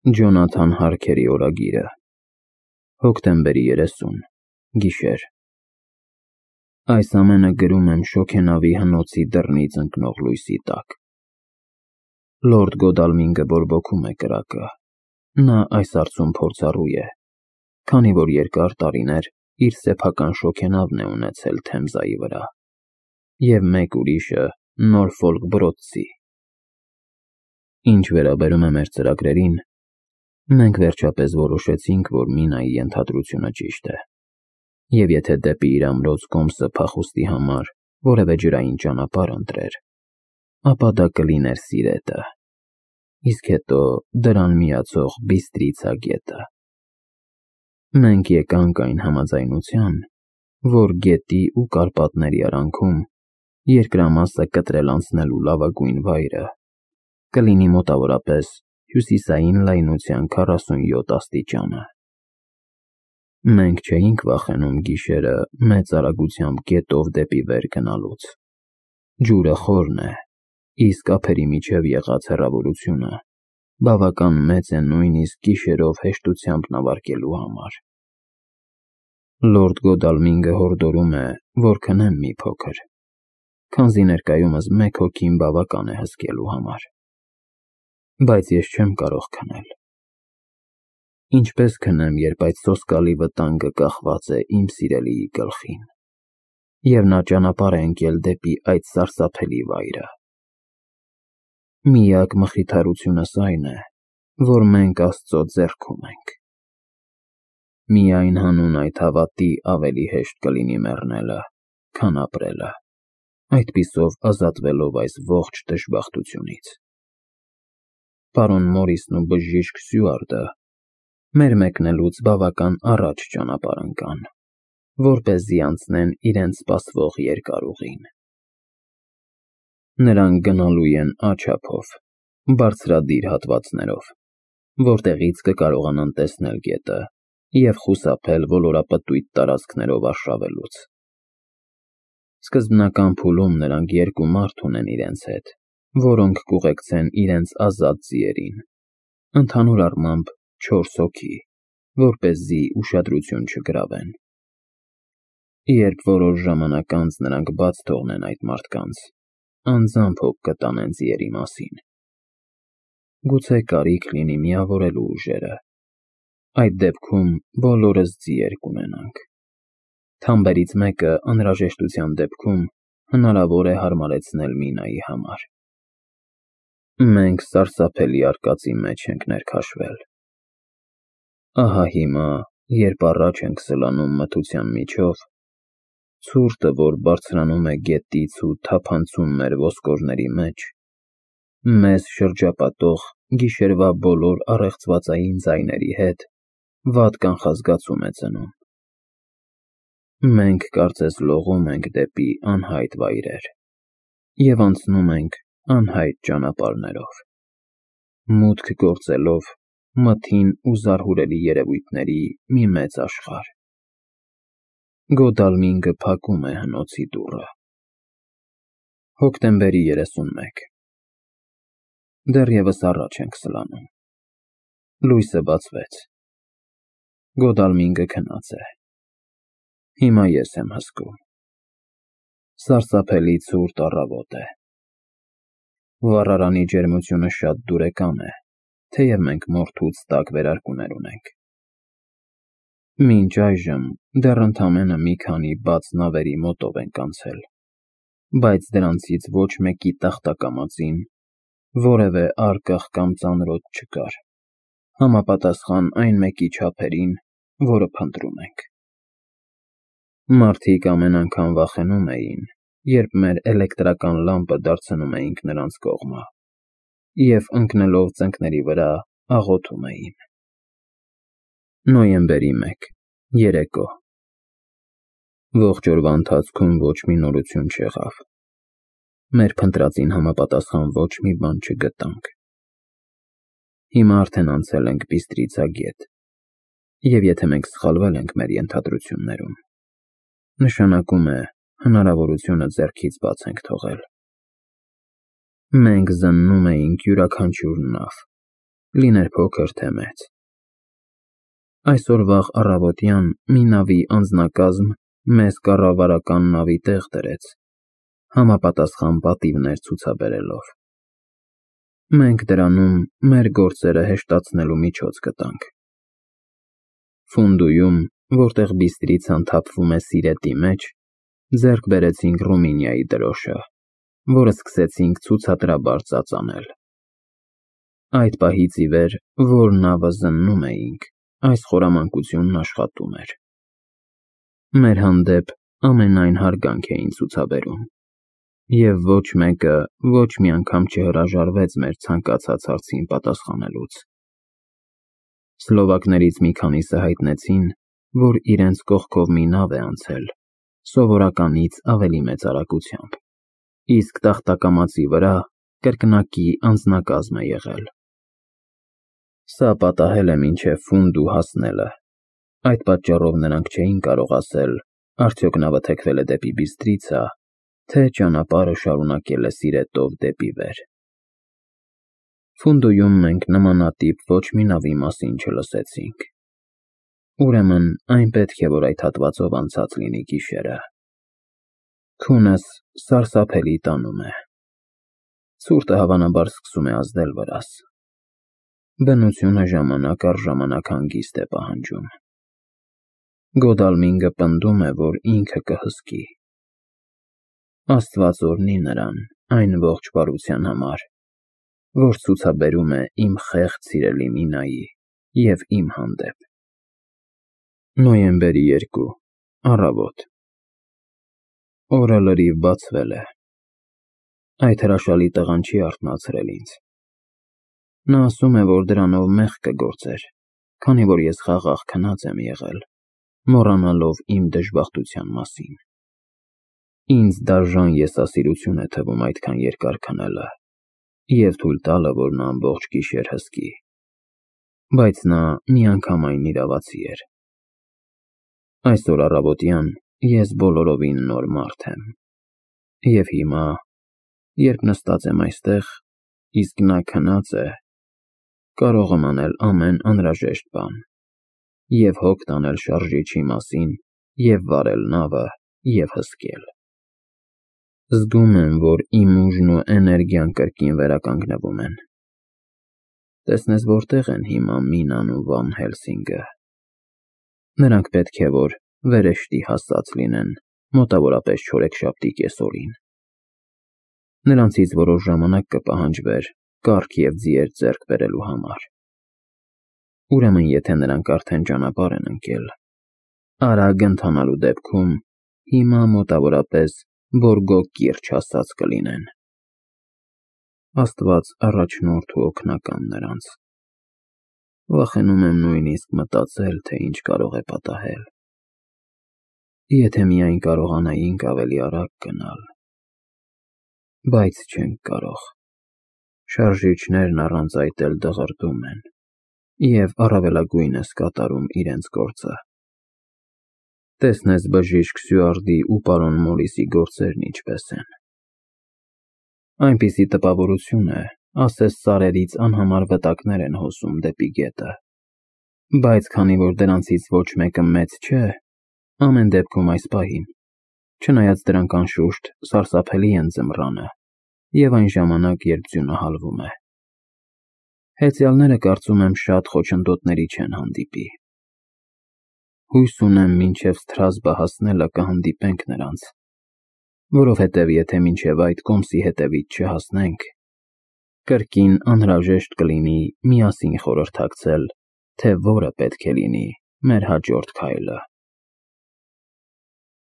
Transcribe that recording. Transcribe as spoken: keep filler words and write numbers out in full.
Ջոնաթան Հարքերի օրագիրը, հոկտեմբերի երեսուն, գիշեր։ Այս ամենը գրում եմ շոգենավի հնոցի դռնից ընկնող լույսի տակ։ Լորդ Գոդալմինգը բորբոքում է կրակը։ Նա այս հարցում փորձառու է, քանի որ երկար տարիներ իր սեփական շոգենավն է ունեցել Թեմզայի վրա, և մեկ ուրիշը Նորֆոլք Բրոդսի։ Ինչ վերաբերում է մեր ծրագրերին, մենք վերջապես որոշեցինք, որ Մինայի ենթադրությունը ճիշտ է, և եթե դեպի իր ամրոց Կոմսը փախուստի համար որևէ ջրային ճանապարհ ընտրեր, ապա դա կլիներ Սիրետը, իսկ հետո դրան միացող Բիստրիցա գետը։ Մենք եկանք այն համաձայնության, որ գետի ու Կարպատների արանքում երկրամասը կտրել անցնելու լավագույն վայրը կլինի մոտավորապես հյուսիսային լայնության քառասունյոթ աստիճանը։ Մենք չէինք վախենում գիշերը մեծ արագությամբ գետով դեպի վեր գնալուց։ Ջուրը խորն է, իսկ ափերի միջև եղած հեռավորությունը բավական մեծ է նույնիսկ գիշերով հեշտությամբ նավարկելու համար։ Լորդ Գոդալմինգը հորդորում է, որ քնեմ մի փոքր, քանզի ներկայումս մեկ հոգին բավական է հսկելու համար։ Բայց ես չեմ կարող քնել։ Ինչպես քնեմ, երբ այդ սոսկալի վտանգը կախված է իմ սիրելիի գլխին, և նա ճանապարհ է ընկել դեպի այդ սարսափելի վայրը։ Միակ մխիթարությունս այն է, որ մենք Աստծո ձեռքում ենք։ Միայն հանուն այդ հավատի ավելի հեշտ կլինի մեռնելը, քան ապրելը, այդպիսով ազատվելով այս ողջ դժբախտությունից։ Պարոն Մորիսն ու բժիշկ Սյուարտը մեր մեկնելուց բավական առաջ ճանապարհ ընկան, որպեսզի անցնեն իրենց սպասվող երկար ուղին։ Նրանք գնալու են Աջափով, բարձրադիր հատվածներով, որտեղից կկարողանան տեսնել գետը և խուսափել ոլորապտույտ տարածքներով արշավելուց։ Սկզբնական փուլում նրանք երկու մարդ ունեն իրենց հետ, որոնք կուղեկցեն իրենց ազատ ձիերին, ընդհանուր առմամբ չորս հոգի, որպեսզի ուշադրություն չգրավեն։ Երբ որոշ ժամանակ անց նրանք բաց թողնեն այդ մարդկանց, անձամբ հոգ կտանեն ձիերի մասին։ Գուցե կարիք լինի միավորելու ուժերը։ Այդ դեպքում բոլորս ձիեր կունենանք։ Թամբերից մեկը անհրաժեշտության դեպքում հնարավոր է հարմարեցնել Մինայի համար։ Մենք սարսափելի արկածի մեջ ենք ներքաշվել։ Ահա հիմա, երբ առաջ ենք սլանում մթության միջով, ցուրտը, որ բարձրանում է գետից ու թափանցում մեր ոսկորների մեջ, մեզ շրջապատող գիշերվա բոլոր առեղծվածային ձայների հետ վատ կանխազգացում է ծնում։ Մենք կարծես լողում ենք դեպի անհայտ վայրեր և անցնում ենք անհայտ ճանապարհներով, մուտք գործելով մթին ու զարհուրելի երևույթների մի մեծ աշխարհ։ Գոդալմինգը փակում է հնոցի դուռը։ Հոկտեմբերի երեսունմեկ։ Դեռևս առաջ ենք սլանում։ Լույսը բացվեց։ Գոդալմինգը քնած է։ Հիմա ես եմ հսկում։ Սարսափելի ցուրտ առավոտ է։ Վառարանի ջերմությունը շատ դուրեկան է, թեև մենք մորթուց տաք վերարկուներ ունենք։ Մինչ այժմ դեռ ընդամենը մի քանի բաց նավերի մոտով ենք անցել, բայց դրանցից ոչ մեկի տախտակամածին որևէ առկախ կամ ծանրոց չկար, համապատասխան այն մեկի չափերին, որը փնտրում ենք։ Մարդիկ ամեն անգամ վախենում էին, երբ մեր էլեկտրական լամպը դարձնում էինք նրանց կողմը, և ընկնելով ծնկների վրա աղոթում էին։ Նոյեմբերի մեկ, երեկո։ Ողջ օրվա ընթացքում ոչ մի նորություն չեղավ։ Մեր փնտրածին համապատասխան ոչ մի բան չգտանք։ Հիմա արդեն անցել ենք Բիստրիցա գետ, և եթե մենք սխալվել ենք մեր ենթադրություններում, նշանակում է հնարավորությունը ձեռքից բաց ենք թողել։ Մենք զննում էինք յուրաքանչյուր նավ, լիներ փոքր թե մեծ։ Այսօր վաղ առավոտյան մի նավի անձնակազմ մեզ կառավարական նավի տեղ դրեց, համապատասխան պատիվներ ցուցաբերելով։ Մենք դրանում մեր գործերը հեշտացնելու միջոց գտանք։ Ֆունդույում, որտեղ բիստրիցան թափվում է Սիրետի մեջ, ձեռք բերեցինք Ռումինիայի դրոշը, որը սկսեցինք ցուցադրաբար ծածանել։ Այդ պահից ի վեր, որ նավը զննում էինք, այս խորամանկությունն աշխատում էր։ Մեր հանդեպ ամենայն հարգանք էին ցուցաբերում, և ոչ մեկը ոչ մի անգամ չհրաժարվեց մեր ցանկացած հարցին պատասխանելուց։ Սլովակներից մի քանիսը հայտնեցին, որ իրենց կողքով մի նավ է անցել, սովորականից ավելի մեծ արագությամբ, իսկ տախտակամածի վրա կրկնակի անձնակազմ է եղել։ Սա պատահել է մինչև Ֆունդու հասնելը, այդ պատճառով նրանք չէին կարող ասել, արդյոք նավը թեքվել է դեպի Բիստրիցա, թե ճանապարհը շարունակել է Սիրետով դեպի վեր։ Ֆունդույում մենք նմանատիպ ոչ մի նավի մասին չլսեցինք։ Ուրեմն այն պետք է, որ այդ հատվածով անցած լինի գիշերը։ Քունս սարսափելի տանում է։ Ցուրտը հավանաբար սկսում է ազդել վրաս։ Բնությունը ժամանակ առ ժամանակ հանգիստ է պահանջում։ Գոդալմինգը պնդում է, որ ինքը կհսկի։ Աստված օրհնի նրան այն ողջ բարության համար, որ ցուցաբերում է իմ խեղճ սիրելի Մինայի և իմ հանդեպ։ Նոյեմբերի երկրորդ, առավոտ։ Օրը լրիվ բացվել է։ Այդ հրաշալի տղան չի արթնացրել ինձ։ Նա ասում է, որ դրանով մեղք կգործեր, քանի որ ես խաղաղ քնած եմ եղել, մոռանալով իմ դժբախտության մասին։ Ինձ դաժան եսասիրություն է թվում այդքան երկար քնելը և թույլ տալը, որ նա ամբողջ գիշեր հսկի, բայց նա միանգամայն իրավացի էր։ Այսօր առավոտյան ես բոլորովին նոր մարդ եմ, և հիմա, երբ նստած եմ այստեղ, իսկ նա քնած է, կարող եմ անել ամեն անհրաժեշտ բան, և հոգ տանել շարժիչի մասին, և վարել նավը, և հսկել։ Զգում եմ, որ իմ ուժն ու էներգիան կրկին վերականգնվում են։ Տեսնես որտեղ են հիմա Մինան ու Վան Հելսինգը։ Նրանք պետք է, որ վերեշտի հասած լինեն մոտավորապես չորեքշաբթի կեսօրին։ Նրանցից որոշ ժամանակ կպահանջվեր կառք և ձիեր ձեռք բերելու համար։ Ուրեմն եթե նրանք արդեն ճանապարհ են ընկել, արագ ընթանալու դեպքում հիմա մոտավորապես Բորգոգ կիրճ հասած կլինեն։ Աստված առաջնորդ ու օգնական նրանց։ Վախենում եմ նույնիսկ մտածել, թե ինչ կարող է պատահել։ Եթե միայն կարողանայինք ավելի արագ գնալ։ Բայց չենք կարող։ Շարժիչներն առանց այդ էլ դղրդում են, և առավելագույնս կատարում իրենց գործը։ Տեսնես բժիշկ Սյուարդի ու պարոն Մորիսի գործերն ինչպես են։ Այնպիսի տպավորություն է, ասես սարերից անհամար վտակներ են հոսում դեպի գետը, բայց քանի որ դրանցից ոչ մեկը մեծ չէ, ամեն դեպքում այս պահին, չնայած դրանք անշուշտ սարսափելի են ձմռանը և այն ժամանակ, երբ ձյունը հալվում է։ Հեծյալները կարծում եմ շատ խոչընդոտների չեն հանդիպի։ Հույս ունեմ մինչև Սթրասբը հասնելը կհանդիպենք նրանց, որովհետև եթե մինչև այդ կոմսի հետևից չհասնենք, կրկին անհրաժեշտ կլինի միասին խորհրդակցել, թե որը պետք է լինի մեր հաջորդ քայլը։